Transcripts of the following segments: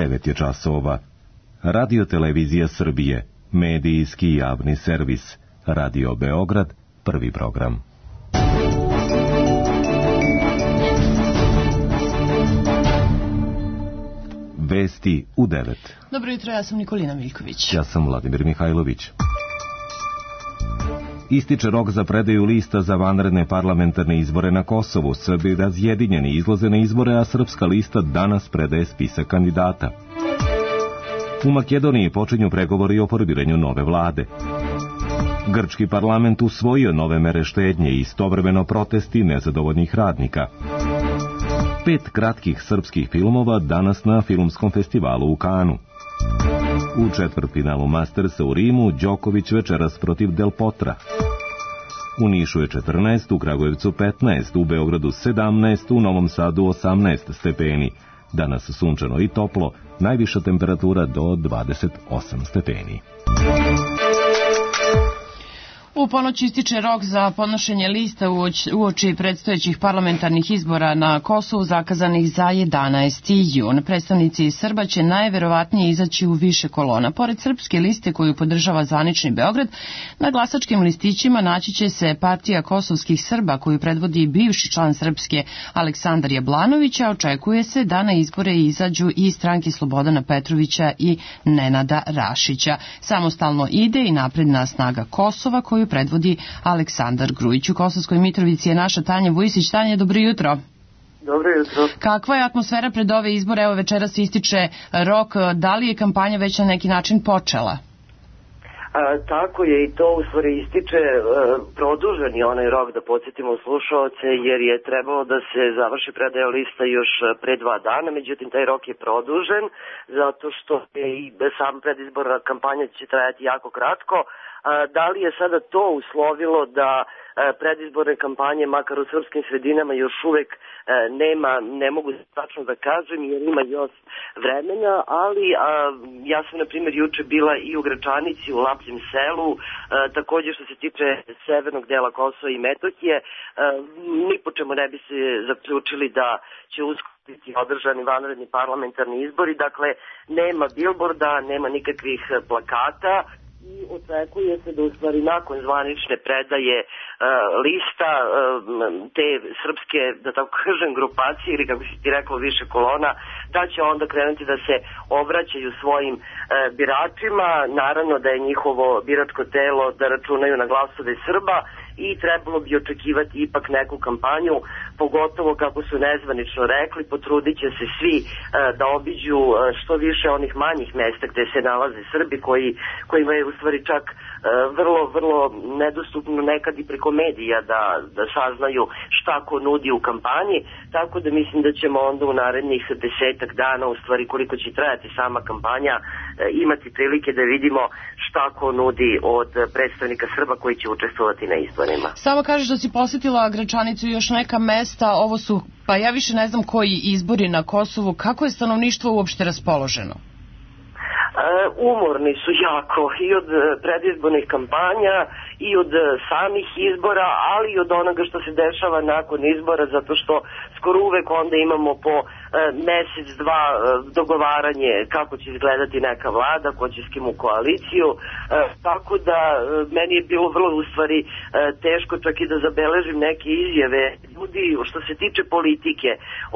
9 je časova. Radio Televizija Srbije, medijski javni servis. Radio Beograd, prvi program. Vesti u 9. Dobro jutro, ja sam Nikolina Miljković. Ja sam Vladimir Mihajlović. Ističe rok za predaju lista za vanredne parlamentarne izbore na Kosovu. Srbi razjedinjeni izlaze na izbore, a srpska lista danas predaje spisak kandidata. U Makedoniji počinju pregovori o formiranju nove vlade. Grčki parlament usvojio nove mere štednje i istovremeno protesti nezadovoljnih radnika. 5 kratkih srpskih filmova danas na filmskom festivalu u Kanu. U četvrtfinalu Mastersa u Rimu Đoković večeras protiv Del Potra. U Nišu je 14, u Kragujevcu 15, u Beogradu 17, u Novom Sadu 18 stepeni. Danas sunčano i toplo, najviša temperatura do 28 stepeni. U ponoć ističe rok za podnošenje lista uoči predstojećih parlamentarnih izbora na Kosovu zakazanih za 11. jun. Predstavnici Srba će najverovatnije izaći u više kolona. Pored srpske liste koju podržava zvanični Beograd, na glasačkim listićima naći će se partija kosovskih Srba koju predvodi bivši član Srpske Aleksandar Jablanović, a očekuje se da na izbore izađu i stranke Slobodana Petrovića i Nenada Rašića. Samostalno ide i napredna snaga Kosova koju predvodi Aleksandar Grujić. U Kosovskoj Mitrovici je naša Tanja Vujisić. Tanja, dobro jutro. Dobro jutro. Kakva je atmosfera pred ove izbore? Evo večeras ističe rok. Da li je kampanja već na neki način počela? Tako je i to u stvari ističe produžen je onaj rok, da podsjetimo slušaoce, jer je trebalo da se završi predaja lista još pre 2 dana, međutim taj rok je produžen zato što je i sam predizborna kampanja će trajati jako kratko. Da li je sada to uslovilo da predizborne kampanje, makar u srpskim sredinama, još uvek nema, ne mogu tačno da kažem jer ima još vremena, ali ja sam na primjer juče bila i u Gračanici, u Lapljem selu, također što se tiče severnog dela Kosova i Metohije, ni po čemu ne bi se zaključili da će uskoro biti održani vanredni parlamentarni izbori, dakle nema bilborda, nema nikakvih plakata. I očekuje se da u stvari nakon zvanične predaje lista te srpske, da tako kažem, grupacije ili kako si ti rekao više kolona, da će onda krenuti da se obraćaju svojim biračima. Naravno da je njihovo biračko telo da računaju na glasove Srba i trebalo bi očekivati ipak neku kampanju, pogotovo kako su nezvanično rekli, potrudit će se svi da obiđu što više onih manjih mesta gde se nalaze Srbi kojima je u stvari čak vrlo nedostupno nekad i preko medija da saznaju šta ko nudi u kampanji, tako da mislim da ćemo onda u narednih 10 dana, u stvari koliko će trajati sama kampanja, imati prilike da vidimo šta ko nudi od predstavnika Srba koji će učestvovati na izborima. Samo kažeš da si posjetila Gračanicu i još neka mesta, ovo su, pa ja više ne znam koji izbori na Kosovu, kako je stanovništvo uopšte raspoloženo? Umorni su jako i od predizbornih kampanja i od samih izbora, ali i od onoga što se dešava nakon izbora, zato što skoro uvek onda imamo po mesec, dva dogovaranje kako će izgledati neka vlada, ko će s kim u koaliciju, tako da meni je bilo vrlo u stvari teško čak i da zabeležim neke izjave. Ljudi, što se tiče politike,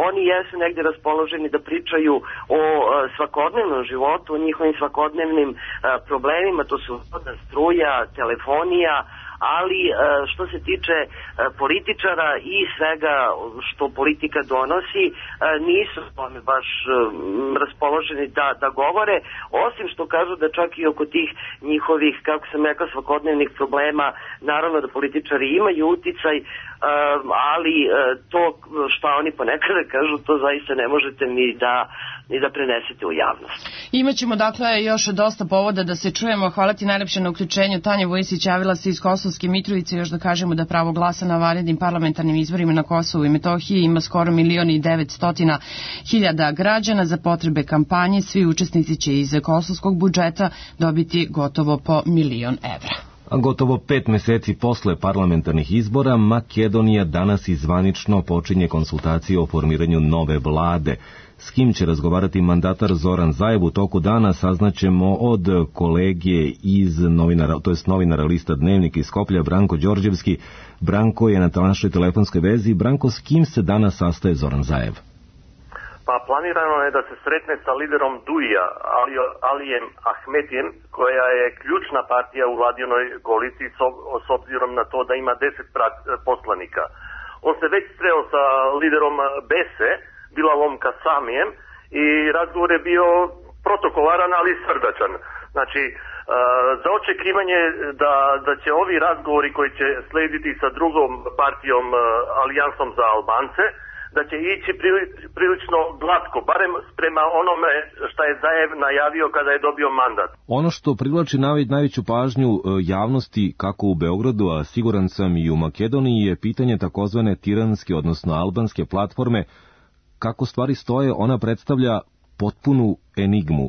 oni jesu negde raspoloženi da pričaju o svakodnevnom životu, o njihovim svakodnevnim problemima, to su voda, struja, telefonija, ali što se tiče političara i svega što politika donosi, nisu tome baš raspoloženi da govore, osim što kažu da čak i oko tih njihovih, kako sam rekao, svakodnevnih problema, naravno da političari imaju uticaj, ali to što oni ponekada kažu, to zaista ne možete ni da prenesete u javnost. Imaćemo dakle još dosta povoda da se čujemo. Hvala ti najlepše na uključenju. Tanja Vujisić javila se iz Kosovske Mitrovice. Još da kažemo da pravo glasa na vanrednim parlamentarnim izborima na Kosovu i Metohiji ima skoro 1.900.000 građana. Za potrebe kampanje svi učesnici će iz kosovskog budžeta dobiti gotovo po 1.000.000 evra. A gotovo 5 meseci posle parlamentarnih izbora, Makedonija danas i zvanično počinje konsultacije o formiranju nove vlade. S kim će razgovarati mandatar Zoran Zaev u toku dana saznaćemo od kolege iz novinara lista Dnevnik iz Skoplja, Branko Đorđevski. Branko je na našoj telefonskoj vezi. Branko, s kim se danas sastaje Zoran Zaev? Pa planirano je da se sretne sa liderom DUI-a, Alijem Ahmetijem, koja je ključna partija u vladinoj koaliciji s obzirom na to da ima 10 poslanika. On se već sreo sa liderom BESE, Bilalom Kasamijem, i razgovor je bio protokolaran, ali srdačan. Znači, za očekivanje da će ovi razgovori koji će slediti sa drugom partijom, Alijansom za Albance, da će ići prilično glatko, barem prema onome što je Zaev najavio kada je dobio mandat. Ono što privlači najveću pažnju javnosti kako u Beogradu, a siguran sam i u Makedoniji, je pitanje takozvane tiranske, odnosno albanske platforme. Kako stvari stoje, ona predstavlja potpunu enigmu.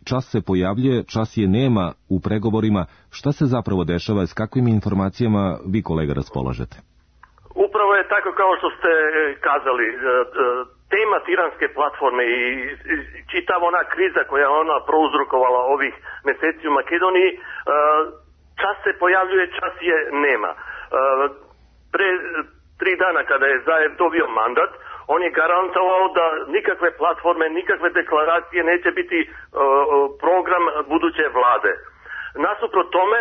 Čas se pojavljuje, čas je nema u pregovorima. Šta se zapravo dešava, s kakvim informacijama vi, kolega, raspolažete? Upravo je tako kao što ste kazali. Tema tiranske platforme i čitava ona kriza koja je ona prouzrokovala ovih meseci u Makedoniji, čas se pojavljuje, čas je nema. Pre 3 dana kada je Zaev dobio mandat, on je garantovao da nikakve platforme, nikakve deklaracije neće biti program buduće vlade. Nasuprot tome,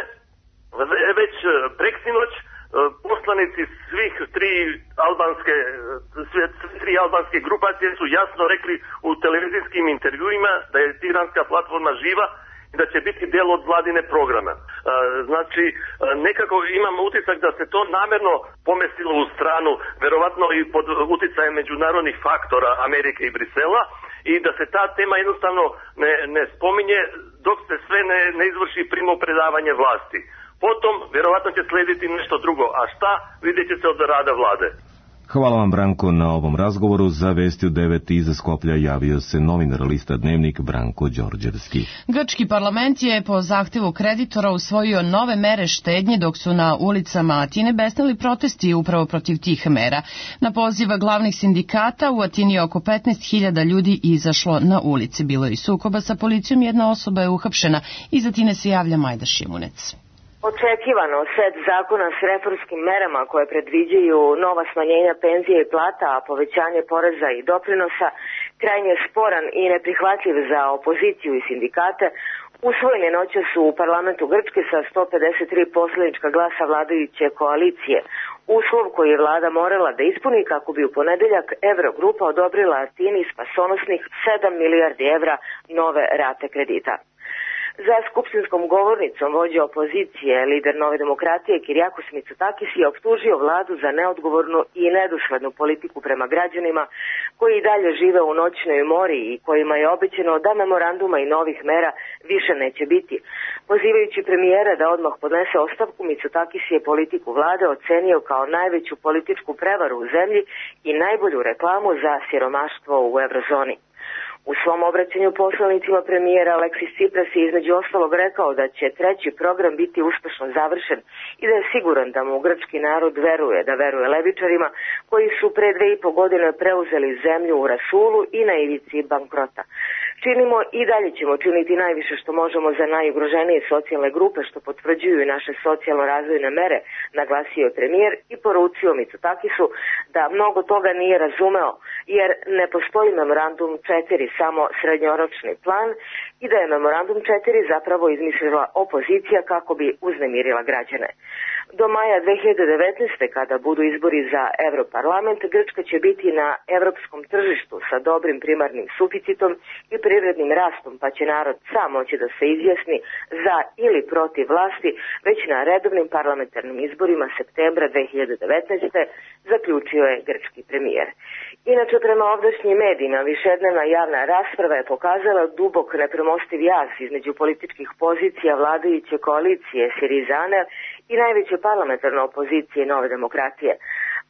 već preksinoć poslanici svih tri albanske grupacije su jasno rekli u televizijskim intervjuima da je tiranska platforma živa i da će biti deo od vladine programa. Znači, nekako imam utisak da se to namerno pomestilo u stranu, verovatno i pod uticajem međunarodnih faktora Amerike i Brisela, i da se ta tema jednostavno ne spominje dok se sve ne izvrši primopredavanje vlasti. Potom, verovatno će slediti nešto drugo, a šta, vidjet će se od rada vlade. Hvala vam, Branko, na ovom razgovoru. Za vesti u 9 iza Skoplja javio se novinar lista Dnevnik Branko Đorđevski. Grčki parlament je po zahtevu kreditora usvojio nove mere štednje, dok su na ulicama Atine besneli protesti upravo protiv tih mera. Na poziv glavnih sindikata u Atini je oko 15.000 ljudi izašlo na ulici. Bilo je i sukoba sa policijom, jedna osoba je uhapšena. Iz Atine se javlja Majda Šimunec. Očekivano, set zakona s reformskim merama koje predviđaju nova smanjenja penzije i plata, a povećanje poreza i doprinosa, krajnje sporan i neprihvatljiv za opoziciju i sindikate, usvojen je noćas u parlamentu Grčke sa 153 poslanička glasa vladajuće koalicije. Uslov koji je vlada morala da ispuni kako bi u ponedeljak Evrogrupa odobrila Atini spasonosnih 7 milijardi evra nove rate kredita. Za skupštinskom govornicom vođa opozicije, lider Nove demokratije Kirijakos Mitsotakis je optužio vladu za neodgovornu i nedoslednu politiku prema građanima koji i dalje žive u noćnoj mori i kojima je obećano da memoranduma i novih mera više neće biti. Pozivajući premijera da odmah podnese ostavku, Mitsotakis je politiku vlade ocenio kao najveću političku prevaru u zemlji i najbolju reklamu za siromaštvo u eurozoni. U svom obraćanju poslanicima premijera Aleksis Tsipras je između ostalog rekao da će treći program biti uspešno završen i da je siguran da mu grčki narod veruje, da veruje levičarima koji su pre 2,5 godine preuzeli zemlju u rasulu i na ivici bankrota. Činimo i dalje ćemo činiti najviše što možemo za najugroženije socijalne grupe, što potvrđuju i naše socijalno-razvojne mere, naglasio je premijer i poručio Mitsotakisu da mnogo toga nije razumeo, jer ne postoji memorandum 4, samo srednjoročni plan, i da je memorandum 4 zapravo izmislila opozicija kako bi uznemirila građane. Do maja 2019. kada budu izbori za Evroparlament, Grčka će biti na evropskom tržištu sa dobrim primarnim suficitom i privrednim rastom, pa će narod sam moći da se izjasni za ili protiv vlasti već na redovnim parlamentarnim izborima septembra 2019. zaključio je grčki premijer. Inače, prema ovdašnjim medijima, višednevna javna rasprava je pokazala dubok nepremostiv jaz između političkih pozicija vladajuće koalicije Sirizane i najveće parlamentarne opozicije Nove demokratije.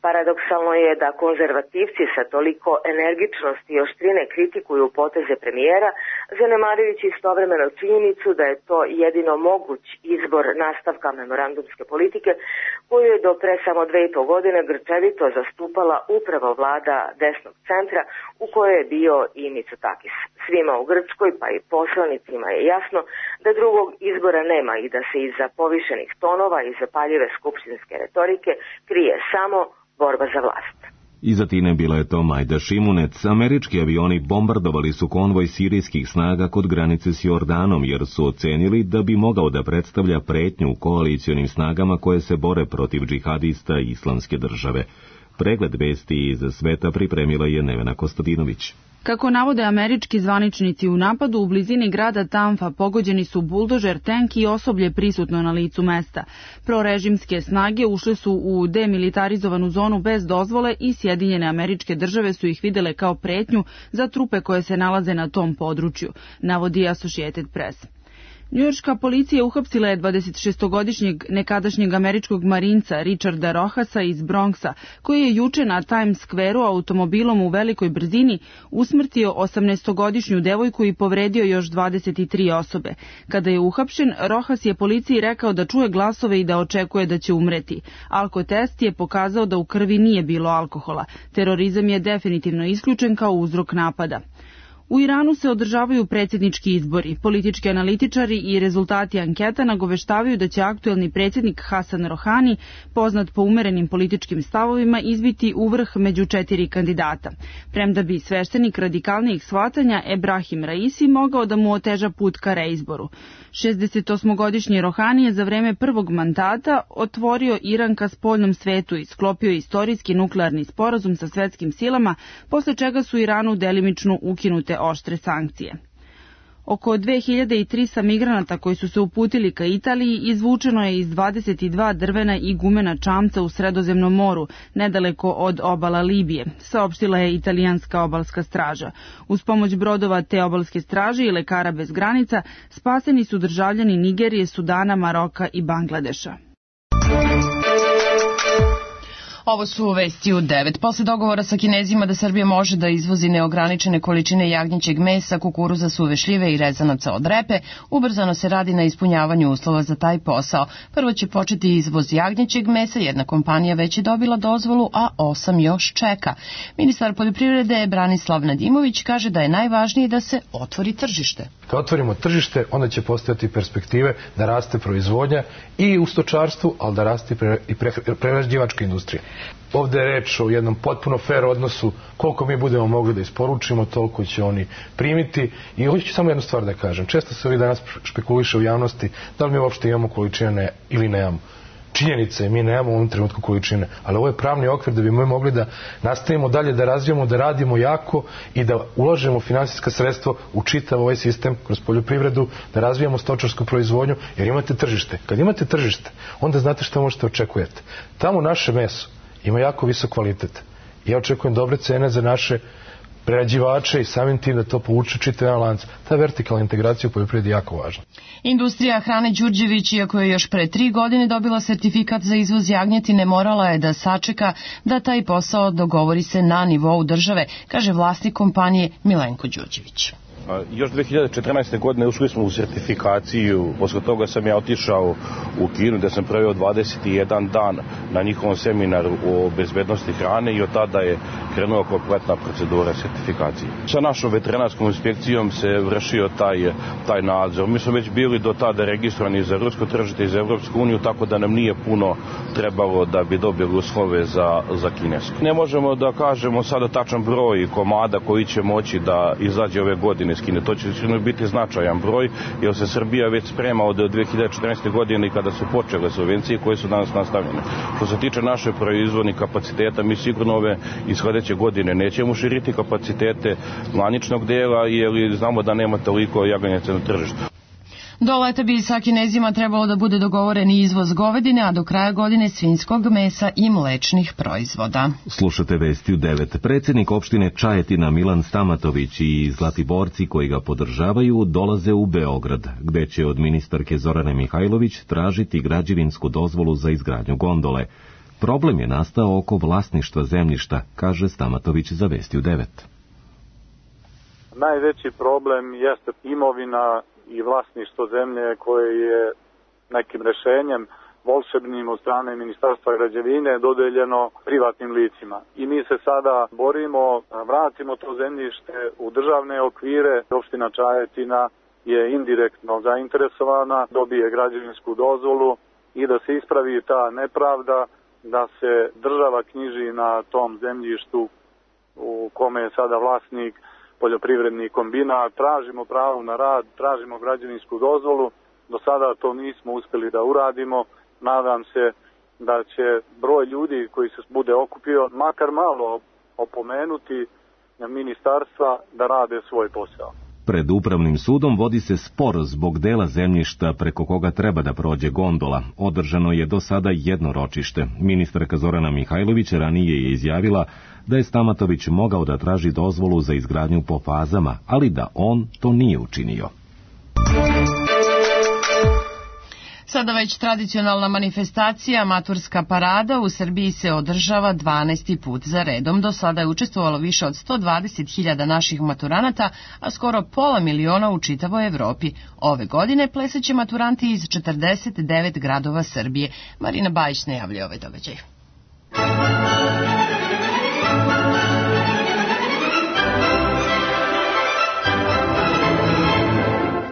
Paradoksalno je da konzervativci sa toliko energičnosti i oštrine kritikuju poteze premijera, zanemarujući istovremeno činjenicu da je to jedino moguć izbor nastavka memorandumske politike koju je do pre samo 2,5 godine grčevito zastupala upravo vlada desnog centra u kojoj je bio i Mitsotakis. Svima u Grčkoj, pa i poslanicima je jasno da drugog izbora nema i da se iza povišenih tonova i zapaljive skupštinske retorike krije samo borba za vlast. Iza Tine bila je to Majda Šimunec. Američki avioni bombardovali su konvoj sirijskih snaga kod granice s Jordanom, jer su ocenili da bi mogao da predstavlja pretnju koalicionim snagama koje se bore protiv džihadista Islamske države. Pregled vesti iz sveta pripremila je Nevena Kostadinović. Kako navode američki zvaničnici, u napadu u blizini grada Tamfa pogođeni su buldožer, tank i osoblje prisutno na licu mesta. Prorežimske snage ušle su u demilitarizovanu zonu bez dozvole i Sjedinjene Američke Države su ih videle kao pretnju za trupe koje se nalaze na tom području, navodi Associated Press. Njujorška policija uhapsila je 26-godišnjeg nekadašnjeg američkog marinca Richarda Rohasa iz Bronxa, koji je juče na Times Square-u automobilom u velikoj brzini usmrtio 18-godišnju devojku i povredio još 23 osobe. Kada je uhapšen, Rohas je policiji rekao da čuje glasove i da očekuje da će umreti. Alkotest je pokazao da u krvi nije bilo alkohola. Terorizam je definitivno isključen kao uzrok napada. U Iranu se održavaju predsjednički izbori. Politički analitičari i rezultati anketa nagoveštavaju da će aktuelni predsjednik Hasan Rohani, poznat po umerenim političkim stavovima, izbiti u vrh među 4 kandidata. Premda bi sveštenik radikalnijih shvatanja Ebrahim Raisi mogao da mu oteža put ka reizboru. 68-godišnji Rohani je za vreme prvog mandata otvorio Iran ka spoljnom svetu i sklopio istorijski nuklearni sporazum sa svetskim silama, posle čega su Iranu delimično ukinute oštre sankcije. Oko 2300 migranata koji su se uputili ka Italiji izvučeno je iz 22 drvena i gumena čamca u Sredozemnom moru, nedaleko od obala Libije, saopštila je italijanska obalska straža. Uz pomoć brodova te obalske straže i lekara bez granica spaseni su državljani Nigerije, Sudana, Maroka i Bangladeša. Ovo su vesti u 9. Posle dogovora sa Kinezima da Srbija može da izvozi neograničene količine jagnjećeg mesa, kukuruza, suve šljive i rezanaca od repe, ubrzano se radi na ispunjavanju uslova za taj posao. Prvo će početi izvoz jagnjećeg mesa, jedna kompanija već je dobila dozvolu, a 8 još čeka. Ministar poljoprivrede Branislav Nedimović kaže da je najvažnije da se otvori tržište. Kad otvorimo tržište, onda će postojati perspektive da raste proizvodnja i u stočarstvu, ali da raste i prerađivačka industrija. Ovde je reč o jednom potpuno fair odnosu, koliko mi budemo mogli da isporučimo, toliko će oni primiti. I hoću samo jednu stvar da kažem. Često se ovih danas špekuliše u javnosti da li mi uopšte imamo količine ili nemamo. Činjenica je, mi nemamo u ovom trenutku količine, ali ovo je pravni okvir da bi mi mogli da nastavimo dalje, da razvijamo, da radimo jako i da ulažemo finansijska sredstva u čitav ovaj sistem kroz poljoprivredu, da razvijamo stočarsku proizvodnju, jer imate tržište. Kad imate tržište, onda znate što možete očekujete. Tamo naše meso ima jako visok kvalitet. Ja očekujem dobre cene za naše prerađivače i samim tim da to povuče čitav jedan lanac. Ta vertikalna integracija u poljoprivredi je jako važna. Industrija hrane Đurđević, iako je još pre 3 godine dobila sertifikat za izvoz jagnjetine, morala je da sačeka da taj posao dogovori se na nivou države, kaže vlasnik kompanije Milenko Đurđević. Još 2014. godine ušli smo u sertifikaciju, posle toga sam ja otišao u Kinu gde sam proveo 21 dan na njihovom seminaru o bezbednosti hrane i od tada je krenula kompletna procedura sertifikacije. Sa našom veterinarskom inspekcijom se vršio taj nadzor. Mi smo već bili do tada registrovani za rusko tržište i za Evropsku uniju, tako da nam nije puno trebalo da bi dobili uslove za kinesko. Ne možemo da kažemo sada tačan broj komada koji će moći da izađe ove godine iz Kine. To će biti značajan broj, jer se Srbija već sprema od 2014. godine kada su počele subvencije koje su danas nastavljene. Što se tiče naše proizvodnih kapaciteta, mi sigurno ove i sledeće godine nećemo širiti kapacitete klaničnog dela, jer znamo da nema toliko jaganjaca na tržištu. Do leta bi sa Kinezima trebalo da bude dogovoren izvoz govedine, a do kraja godine svinjskog mesa i mlečnih proizvoda. Slušate vesti u 9. Predsjednik opštine Čajetina Milan Stamatović i Zlatiborci koji ga podržavaju dolaze u Beograd, gde će od ministarke Zorane Mihajlović tražiti građevinsku dozvolu za izgradnju gondole. Problem je nastao oko vlasništva zemljišta, kaže Stamatović za Vesti u 9. Najveći problem jeste imovina i vlasništvo zemlje koje je nekim rešenjem volšebnim od strane Ministarstva građevine dodeljeno privatnim licima. I mi se sada borimo, vratimo to zemljište u državne okvire. Opština Čajetina je indirektno zainteresovana, dobije građevinsku dozvolu i da se ispravi ta nepravda, da se država knjiži na tom zemljištu u kome je sada vlasnik poljoprivredni kombinat. Tražimo pravo na rad, tražimo građevinsku dozvolu. Do sada to nismo uspjeli da uradimo. Nadam se da će broj ljudi koji se bude okupio makar malo opomenuti ministarstva da rade svoj posao. Pred upravnim sudom vodi se spor zbog dela zemljišta preko koga treba da prođe gondola. Održano je do sada jedno ročište. Ministarka Zorana Mihajlović ranije je izjavila da je Stamatović mogao da traži dozvolu za izgradnju po fazama, ali da on to nije učinio. Sada već tradicionalna manifestacija, maturska parada, u Srbiji se održava 12. put za redom. Do sada je učestvovalo više od 120.000 naših maturanata, a skoro pola miliona u čitavoj Evropi. Ove godine plesaće maturanti iz 49 gradova Srbije. Marina Bajić najavljuje ovaj događaj.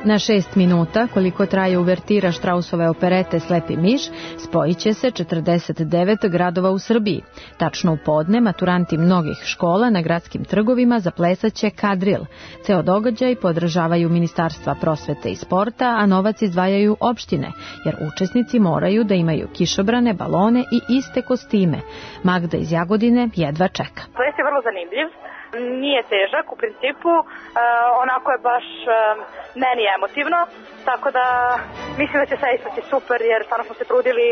Na 6 minuta, koliko traje uvertira Štrausove operete Slepi miš, spojit će se 49 gradova u Srbiji. Tačno u podne, maturanti mnogih škola na gradskim trgovima zaplesaće kadril. Ceo događaj podržavaju Ministarstva prosvete i sporta, a novac izdvajaju opštine, jer učesnici moraju da imaju kišobrane, balone i iste kostime. Magda iz Jagodine jedva čeka. Ples je vrlo zanimljiv. Nije težak u principu, onako je baš meni emotivno, tako da mislim da će sve ispati super jer stvarno smo se trudili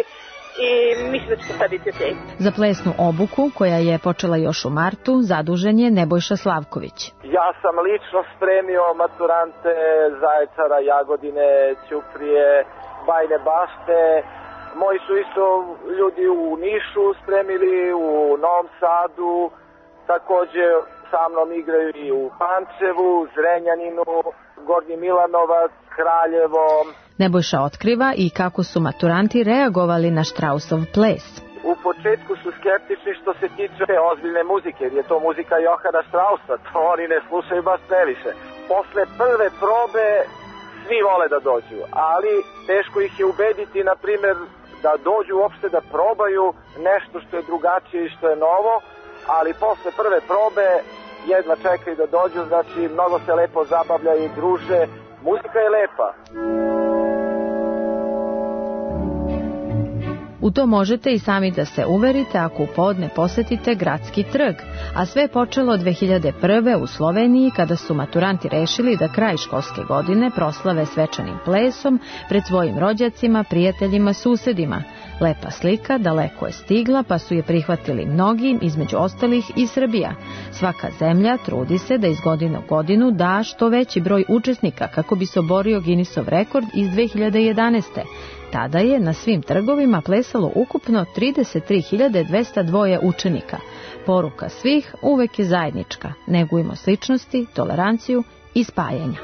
i mislim da će se sve biti okej. Za plesnu obuku, koja je počela još u martu, zadužen je Nebojša Slavković. Ja sam lično spremio maturante Zaječara, Jagodine, Ćuprije, Bajine Bašte. Moji su isto ljudi u Nišu spremili, u Novom Sadu, takođe sa mnom igraju i u Pančevu, Zrenjaninu, Gornji Milanovac, Kraljevo. Nebojša otkriva i kako su maturanti reagovali na Štrausov ples. U početku su skeptični što se tiče ozbiljne muzike, jer je to muzika Johana Strausa, to oni ne slušaju baš previše. Posle prve probe svi vole da dođu, ali teško ih je ubediti, na primjer, da dođu uopšte da probaju nešto što je drugačije i što je novo, ali posle prve probe jedva čekaju da dođu, znači mnogo se lepo zabavljaju i druže. Muzika je lepa. U to možete i sami da se uverite ako u podne posetite Gradski trg, a sve je počelo 2001. u Sloveniji kada su maturanti rešili da kraj školske godine proslave svečanim plesom pred svojim rođacima, prijateljima, susedima. Lepa slika daleko je stigla, pa su je prihvatili mnogi, između ostalih i Srbija. Svaka zemlja trudi se da iz godine u godinu da što veći broj učesnika kako bi se oborio Guinnessov rekord iz 2011. Tada je na svim trgovima plesalo ukupno 33.202 učenika. Poruka svih uvek je zajednička. Negujmo sličnosti, toleranciju i spajanja.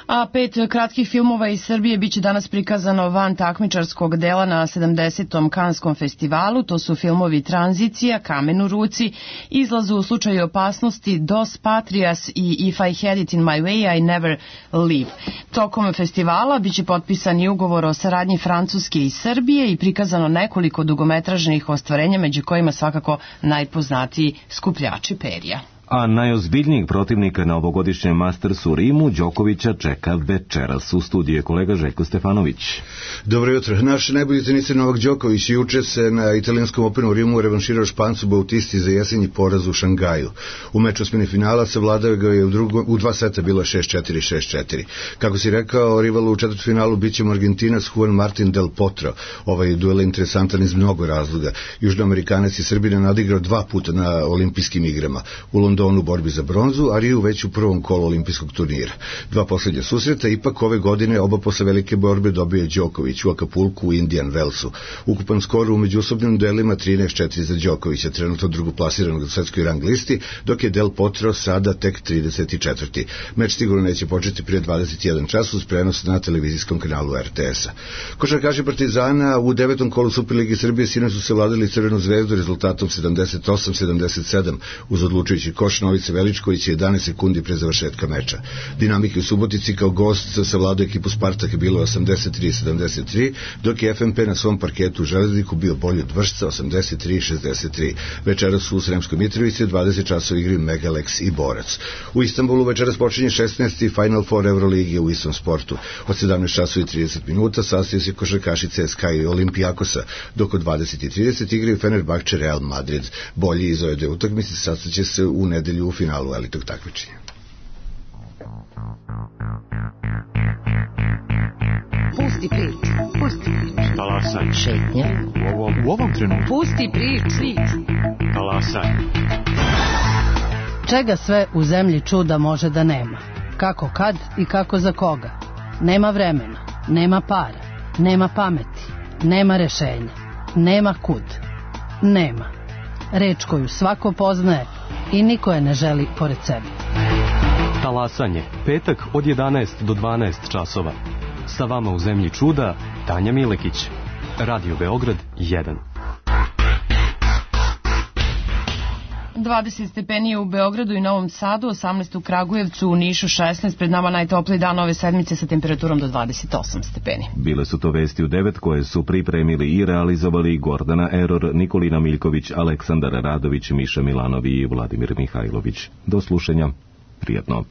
A 5 kratkih filmova iz Srbije biće danas prikazano van takmičarskog dela na 70. Kanskom festivalu. To su filmovi Tranzicija, Kamen u ruci, Izlaz u slučaju opasnosti, Dos Patrias i If I Had It in My Way, I Never Leave. Tokom festivala biće potpisan i ugovor o saradnji Francuske i Srbije i prikazano nekoliko dugometražnih ostvarenja, među kojima svakako najpoznatiji Skupljači perja. A najozbiljnijeg protivnika na ovogodišnjem Mastersu u Rimu Đokovića čeka večeras. U studiju je kolega Željko Stefanović. Dobro jutro. Naš najbolji teniser Novak Đoković juče se na italijanskom Openu u Rimu revanširao Špancu Bautisti za jesenji poraz u Šangaju. U meču osmini finala savladao ga je u dva seta, bilo je 6-4, 6-4. Kako si rekao, rival u četvrtfinalu biće Argentinac Juan Martin del Potro. Ovaj duel je interesantan iz mnogo razloga. Južnoamerikanac i Srbina nadigrao 2 puta na olimpijskim igrama. U Londonu u borbi za bronzu, a Riju već u prvom kolu olimpijskog turnira. 2 poslednja susreta, ipak ove godine oba posle velike borbe dobije Đoković u Acapulku u Indian Wellsu. Ukupan skor u međusobnim duelima 13-4 za Đokovića, trenutno drugoplasiranog na svetskoj rang listi, dok je Del Potro sada tek 34. Meč sigurno neće početi prije 21 čas uz prenos na televizijskom kanalu RTS-a. Košarkaši Partizana u 9. kolu Superligi Srbije sinoć su se vladali Crvenu zvezdu rezultatom 78-77 uz odlučujući koš Novice Veličković 11 sekundi pre završetka meča. Dinamike u Subotici kao gost savladao ekipu Spartak je bilo 83-73, dok je FNP na svom parketu u Železniku bio bolji od Vršca 83-63. Večeras su u Sremskoj Mitrovici 20 časova igri Megalex i Borac. U Istanbulu večeras počinje 16. Final Four Euroligi u istom sportu. Od 17 časova i 30 minuta sastaju se košarkaši CSKA i Olimpijakosa, dok od 20:30 igraju Fenerbahče Real Madrid. Bolji iz ove dve utakmice sastaće se u nedelju u finalu elitnog takmičenja. Pusti priču, pusti priču. Talasaj. Šetnja. U ovom trenutku. Pusti priču. Talasaj. Čega sve u zemlji čuda može da nema? Kako kad i kako za koga? Nema vremena, nema para, nema pameti, nema rešenja, nema kud. Nema. Reč koju svako poznaje i niko je ne želi pored sebe. Talasanje, petak od 11 do 12 časova. Sa vama u zemlji čuda, Tanja Milekić. Radio Beograd 1. 20 stepeni u Beogradu i Novom Sadu, 18 u Kragujevcu, u Nišu 16, pred nama najtopliji dan ove sedmice sa temperaturom do 28 stepeni. Bile su to vesti u 9 koje su pripremili i realizovali Gordana Eror, Nikolina Miljković, Aleksandar Radović, Miša Milanovi i Vladimir Mihajlović. Do slušanja. Prijatno.